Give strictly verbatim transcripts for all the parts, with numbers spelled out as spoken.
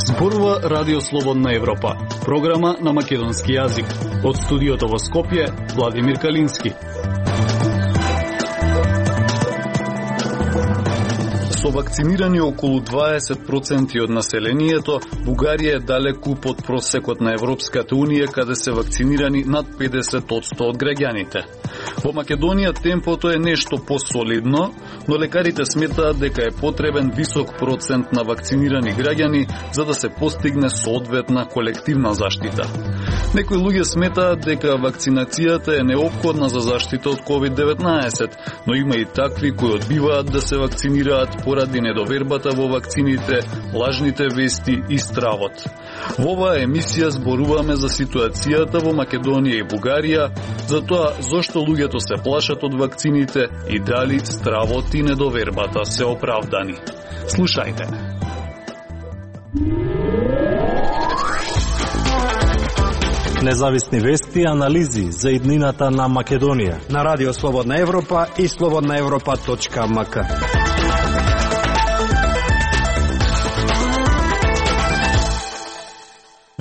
Зборува Радио Слободна Европа, програма на македонски јазик. Од студиото во Скопје, Владимир Калински. Со вакцинирани околу дваесет проценти од населението, Бугарија е далеку под просекот на Европската Унија, каде се вакцинирани над педесет одсто од граѓаните. Во Македонија темпото е нешто посолидно, но лекарите сметаат дека е потребен висок процент на вакцинирани граѓани за да се постигне соодветна колективна заштита. Некои луѓе сметаат дека вакцинацијата е неопходна за заштита од ковид деветнаесет, но има и такви кои одбиваат да се вакцинираат поради недовербата во вакцините, лажните вести и стравот. Во оваа емисија зборуваме за ситуацијата во Македонија и Бугарија, за тоа зошто луѓето се плашат од вакцините и дали стравот и недовербата се оправдани. Слушајте. Независни вести и анализи за иднината на Македонија на Радио Слободна Европа и слободна европа точка ем ка.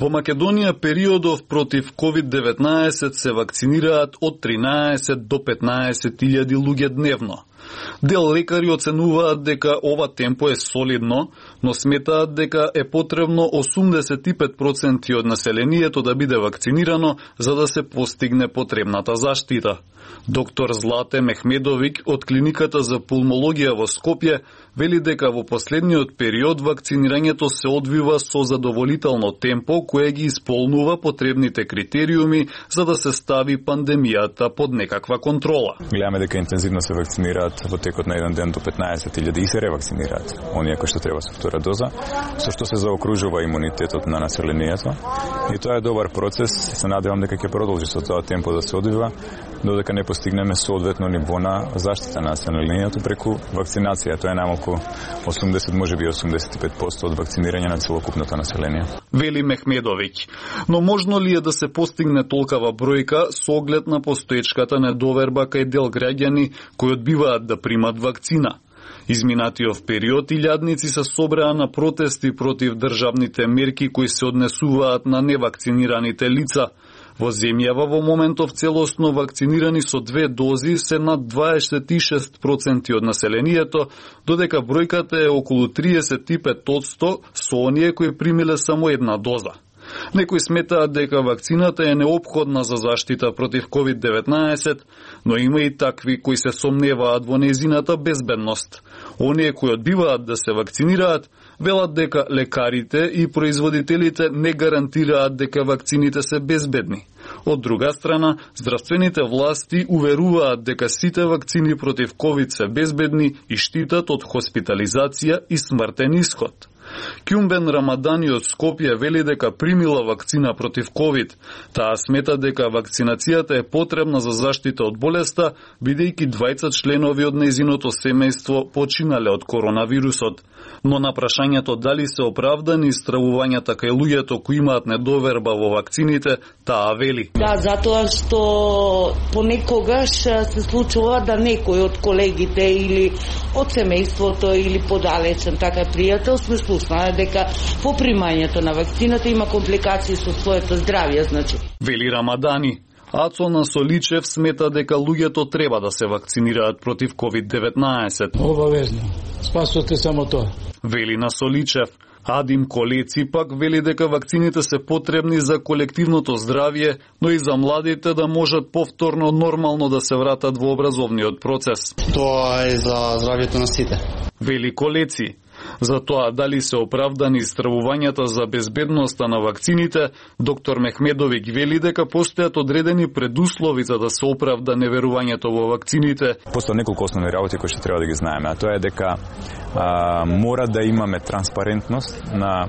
Во Македонија периодов против ковид деветнаесет се вакцинираат од тринаесет до петнаесет илјади луѓе дневно. Дел лекари оценуваат дека ова темпо е солидно, но сметаат дека е потребно осумдесет и пет проценти од населението да биде вакцинирано за да се постигне потребната заштита. Доктор Злате Мехмедовик од клиниката за пулмологија во Скопје вели дека во последниот период вакцинирањето се одвива со задоволително темпо кое ги исполнува потребните критериуми за да се стави пандемијата под некаква контрола. Гледаме дека интензивно се вакцинираат во текот на еден ден до петнаесет илјади и се ревакцинираат оние кои што треба со втора доза, со што се заокружува имунитетот на населението. И тоа е добар процес, се надевам дека ќе продолжи со тоа темпо да се одвива додека не постигнеме соодветно ниво на заштита на населението преку вакцинација. Тоа е најмалку осумдесет, можеби осумдесет и пет проценти од вакцинирање на целокупното население. Вели Мехмедовиќ. Но можно ли е да се постигне толкава бројка со оглед на постоечката недоверба кај дел граѓани кои одбиваат да примат вакцина? Изминатиот период илјадници се собраа на протести против државните мерки кои се однесуваат на невакцинираните лица. Во земјава во моментов целосно вакцинирани со две дози се над дваесет и шест проценти од населението, додека бројката е околу триесет и пет одсто со оние кои примиле само една доза. Некои сметаат дека вакцината е неопходна за заштита против ковид деветнаесет, но има и такви кои се сомневаат во нејзината безбедност. Оние кои одбиваат да се вакцинираат велат дека лекарите и производителите не гарантираат дека вакцините се безбедни. Од друга страна, здравствените власти уверуваат дека сите вакцини против ковид се безбедни и штитат од хоспитализација и смртен исход. Кјумбен Рамадани од Скопје вели дека примила вакцина против ковид. Таа смета дека вакцинацијата е потребна за заштита од болеста, бидејќи двајца членови од нејзиното семејство починале од коронавирусот. Но на прашањето дали се оправдани истравувањата кај луѓето кои имаат недоверба во вакцините, таа вели. Да, затоа што понекогаш се случува да некој од колегите или од семејството или подалечен така пријател сме слушнале дека по примањето на вакцината има компликации со своето здравје, значи. Вели Рамадани. Ацо Насоличев смета дека луѓето треба да се вакцинираат против ковид деветнаесет. Обавезно. Спасувате само тоа. Вели Насоличев. Адим Колеци пак вели дека вакцините се потребни за колективното здравје, но и за младите да можат повторно нормално да се вратат во образовниот процес. Тоа е за здравјето на сите. Вели Колеци. За тоа дали се оправдани истравувањата за безбедноста на вакцините, доктор Мехмедовик вели дека постојат одредени предуслови за да се оправда неверувањето во вакцините. Постојат неколку основни работи кои што треба да ги знаеме, а тоа е дека а, мора да имаме транспарентност на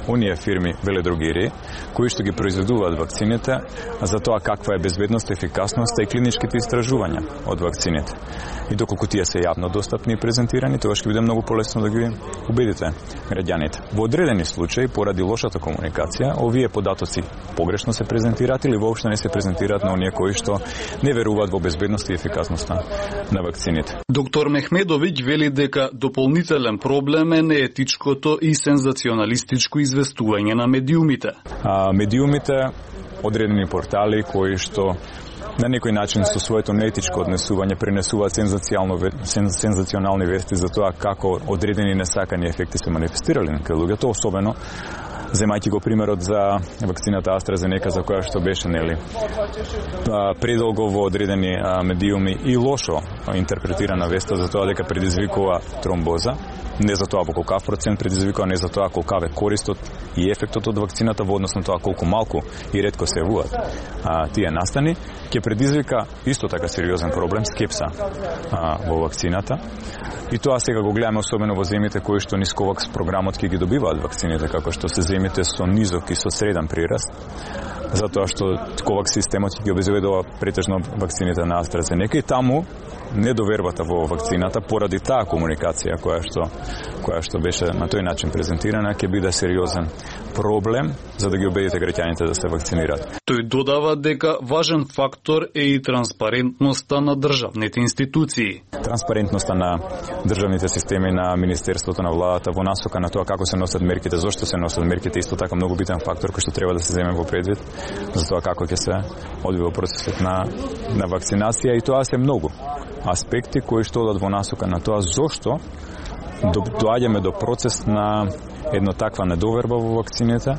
оние фирми веледрогерии кои што ги произведуваат вакцините за тоа каква е безбедност, ефикасност и клиничките истражувања од вакцините. И доколку тие се јавно достапни и презентирани, тоа ќе биде многу полесно да ги убедите граѓаните. Во одредени случаи, поради лошата комуникација, овие податоци погрешно се презентираат или воопшто не се презентираат на оние кои што не веруваат во безбедност и ефикасноста на вакцините. Доктор Мехмедовиќ вели дека дополнителен проблем е неетичкото и сензационалистичко известување на медиумите. А, медиумите, одредени портали кои што на некој начин со своето неетичко однесување пренесуваат сензационални вести за тоа како одредени несакани ефекти се манифестирали на луѓето, особено земајќи го примерот за вакцината AstraZeneca, за која што беше нели предолго во одредени медиуми и лошо интерпретирана веста за тоа дека предизвикува тромбоза, не за тоа во колкав процент предизвикува, не за тоа колкав е користот и ефектот од вакцината во однос на тоа колку малку и ретко се јавуваат тие настани, ќе предизвика исто така сериозен проблем, скепса а, во вакцината. И тоа сега го гледаме особено во земјите кои што низ ковакс програмот ќе ги добиваат вакцините, како што се земјите со низок и со среден прираст, затоа што ковакс системот ќе ги обезбедува претежно вакцините на AstraZeneca и таму недовербата во вакцината поради таа комуникација која што која што беше на тој начин презентирана ќе биде сериозен проблем за да ги убедите граѓаните да се вакцинираат. Тој додава дека важен фактор е и транспарентноста на државните институции. Транспарентноста на државните системи, на Министерството, на владата во насока на тоа како се носат мерките, зошто се носат мерките, исто така многу битен фактор кој што треба да се земе во предвид за тоа како ќе се одвива процесот на на вакцинација, и тоа се многу аспекти кои што одат во насока на тоа зошто доаѓаме до процес на едно таква недоверба во вакцините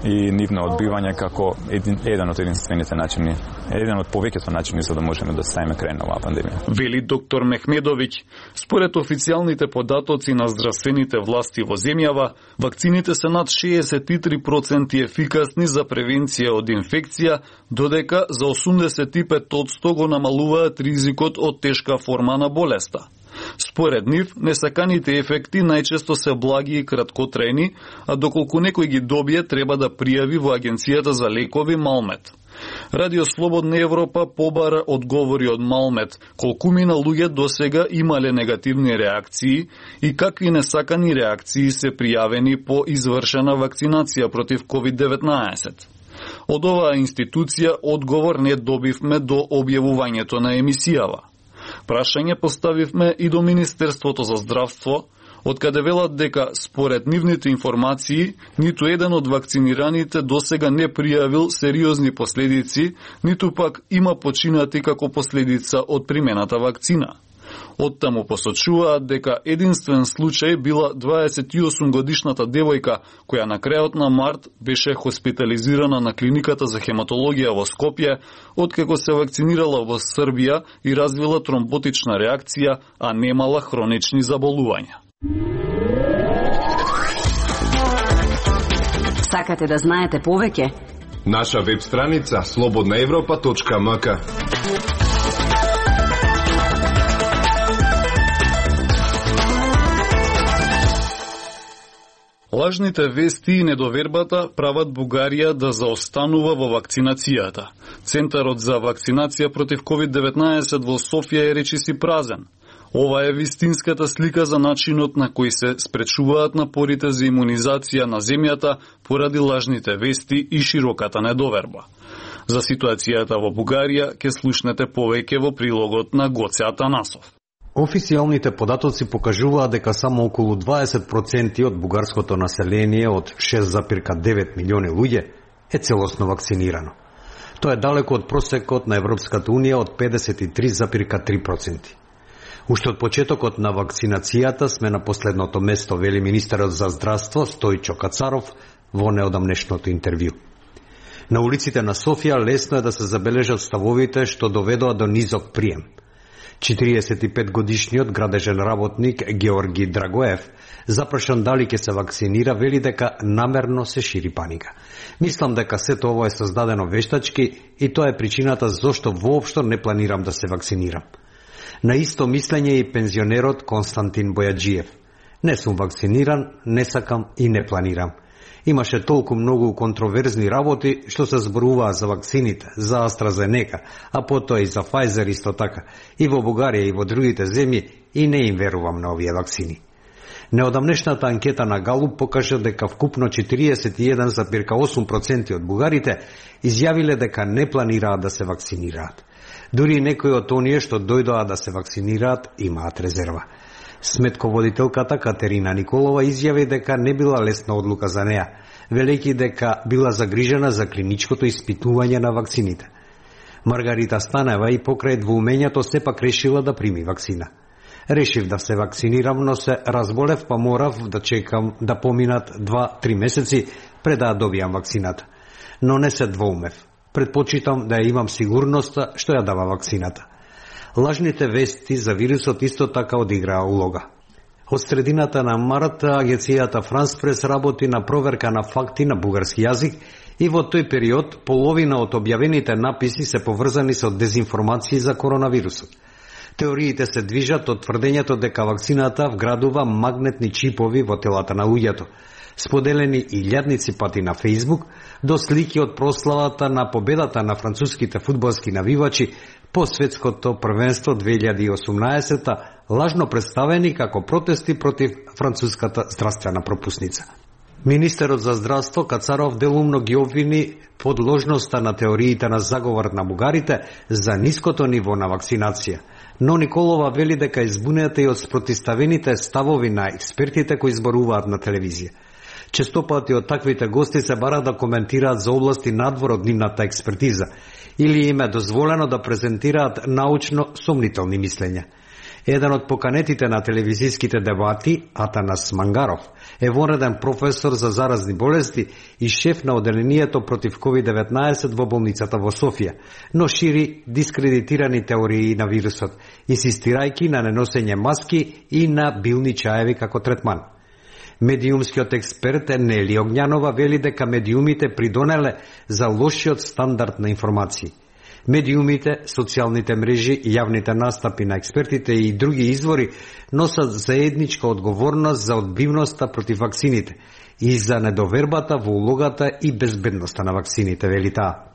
и нивно одбивање како един, еден од единствените начини, еден од повеќето начини за да можеме да ставиме крај на оваа пандемија. Вели доктор Мехмедовиќ, според официјалните податоци на здравствените власти во земјава, вакцините се над шеесет и три проценти ефикасни за превенција од инфекција, додека за осумдесет и пет одсто го намалуваат ризикот од тешка форма на болеста. Според нив, несаканите ефекти најчесто се благи и краткотрајни, а доколку некој ги добие, треба да пријави во Агенцијата за лекови Малмет. Радио Слободна Европа побара одговори од Малмет колкумина луѓе досега имале негативни реакции и какви несакани реакции се пријавени по извршена вакцинација против ковид деветнаесет. Од оваа институција одговор не добивме до објавувањето на емисијава. Прашање поставивме и до Министерството за здравство, откаде велат дека според нивните информации ниту еден од вакцинираните досега не пријавил сериозни последици, ниту пак има починати како последица од примената вакцина. Оттаму посочуваат дека единствен случај била дваесет и осум годишната девојка која на крајот на март беше хоспитализирана на клиниката за хематологија во Скопје, откако се вакцинирала во Србија и развила тромботична реакција, а немала хронични заболувања. Сакате да знаете повеќе? Наша веб страница слободна европа точка ем ка. Лажните вести и недовербата прават Бугарија да заостанува во вакцинацијата. Центарот за вакцинација против ковид деветнаесет во Софија е речиси празен. Ова е вистинската слика за начинот на кој се спречуваат напорите за имунизација на земјата поради лажните вести и широката недоверба. За ситуацијата во Бугарија ќе слушнете повеќе во прилогот на Гоце Атанасов. Официјалните податоци покажуваат дека само околу дваесет проценти од бугарското население од шест зарез девет милиони луѓе е целосно вакцинирано. Тоа е далеко од просекот на Европската унија од педесет и три зарез три проценти. Уште од почетокот на вакцинацијата сме на последното место, вели министерот за здравство Стојчо Кацаров во неодамнешното интервју. На улиците на Софија лесно е да се забележат ставовите што доведоа до низок прием. четириесет и пет годишниот градежен работник Георги Драгоев, запрашан дали ќе се вакцинира, вели дека намерно се шири паника. Мислам дека сето ово е создадено вештачки и тоа е причината зошто воопшто не планирам да се вакцинирам. На исто мислење и пензионерот Константин Бојаджиев. Не сум вакциниран, не сакам и не планирам. Имаше толку многу контроверзни работи што се зборуваа за вакцините, за AstraZeneca, а потоа и за Pfizer исто така, и во Бугарија и во другите земји, и не им верувам на овие вакцини. Неодамнешната анкета на Галуп покажа дека вкупно четириесет и еден зарез осум проценти од бугарите изјавиле дека не планираат да се вакцинираат. Дури некои од оние што дојдоа да се вакцинираат имаат резерва. Сметководителката Катерина Николова изјави дека не била лесна одлука за неа, велејќи дека била загрижена за клиничкото испитување на вакцините. Маргарита Станева и покрај двоумењето сепак решила да прими вакцина. Решив да се вакцинирам, но се разболев, па морав да чекам да поминат два-три месеци пред да добијам вакцината. Но не се двоумев. Предпочитам да ја имам сигурноста што ја дава вакцината. Лажните вести за вирусот исто така одиграа улога. Од средината на март агенцијата Франс Прес работи на проверка на факти на бугарски јазик и во тој период половина од објавените написи се поврзани со дезинформации за коронавирусот. Теориите се движат од тврдењето дека вакцината вградува магнетни чипови во телата на луѓето, споделени илјадници пати на Фејсбук, до слики од прославата на победата на француските фудбалски навивачи по светското првенство две илјади и осумнаесета, лажно представени како протести против француската здравствена пропусница. Министерот за здравство Кацаров делумно ги обвини подложноста на теориите на заговор на бугарите за ниското ниво на вакцинација, но Николова вели дека избунета и од спротиставените ставови на експертите кои зборуваат на телевизија. Често пати од таквите гости се бара да коментираат за области надвор од нивната експертиза или им е дозволено да презентираат научно сомнителни мислења. Еден од поканетите на телевизиските дебати, Атанас Мангаров, е вонреден професор за заразни болести и шеф на оделението против ковид деветнаесет во болницата во Софија, но шири дискредитирани теории на вирусот, инсистирајќи на неносење маски и на билни чаеви како третман. Медиумскиот експерт Нели Огњанова вели дека медиумите придонеле за лошиот стандард на информации. Медиумите, социјалните мрежи, јавните настапи на експертите и други извори носат заедничка одговорност за одбивноста против вакцините и за недовербата во улогата и безбедноста на вакцините, вели таа.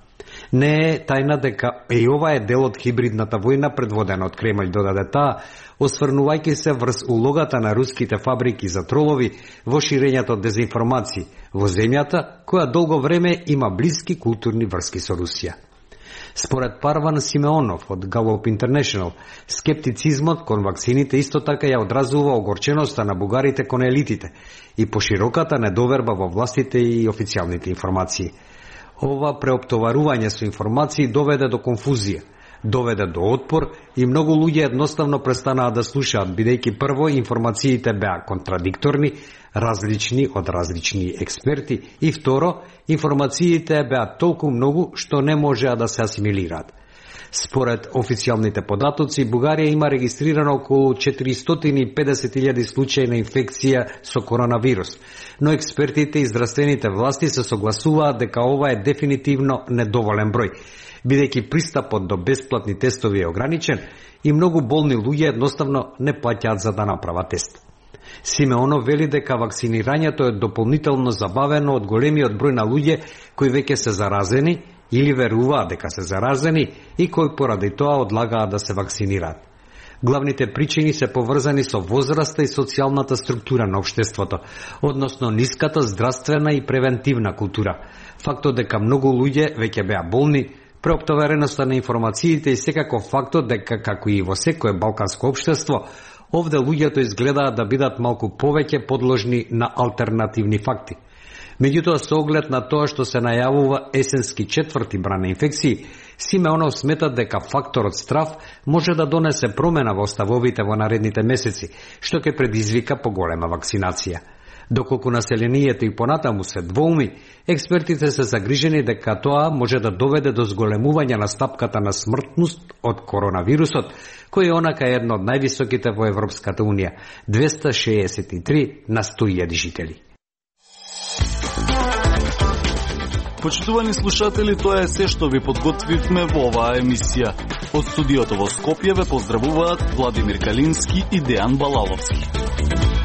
Не е тајна дека и ова е дел од хибридната војна предводена од Кремљ, додаде таа, осврнувајќи се врз улогата на руските фабрики за тролови во ширењето од дезинформации во земјата, која долго време има блиски културни врски со Русија. Според Парван Симеонов од Gallup International, скептицизмот кон вакцините исто така ја одразува огорченоста на бугарите кон елитите и пошироката недоверба во властите и официјалните информации. Ова преоптоварување со информации доведе до конфузија, доведе до отпор и многу луѓе едноставно престанаа да слушаат, бидејќи прво информациите беа контрадикторни, различни од различни експерти и второ, информациите беа толку многу што не можеа да се асимилираат. Според официјалните податоци, Бугарија има регистрирано околу четиристотини и педесет илјади случаи на инфекција со коронавирус, но експертите и здравствените власти се согласуваат дека ова е дефинитивно недоволен број, бидејќи пристапот до бесплатни тестови е ограничен и многу болни луѓе едноставно не плаќаат за да направат тест. Симеонов вели дека вакцинирањето е дополнително забавено од големиот број на луѓе кои веќе се заразени или веруваат дека се заразени и кои поради тоа одлагаат да се вакцинираат. Главните причини се поврзани со возраста и социјалната структура на општеството, односно ниската здравствена и превентивна култура, фактот дека многу луѓе веќе беа болни, преоптовареноста на информациите и секако фактот дека, како и во секое балканско општество, овде луѓето изгледаат да бидат малку повеќе подложни на алтернативни факти. Меѓутоа, со оглед на тоа што се најавува есенски четврти бран на инфекции, Симеонов смета дека факторот страв може да донесе промена во ставовите во наредните месеци, што ќе предизвика поголема вакцинација. Доколку населението и понатаму се двоуми, експертите се загрижени дека тоа може да доведе до зголемување на стапката на смртност од коронавирусот, кој е онака едно од највисоките во Европската Унија – двеста шеесет и три на сто илјади жители. Почитувани слушатели, тоа е се што ви подготвивме во оваа емисија. Од студиото во Скопје ве поздравуваат Владимир Калински и Дејан Балаловски.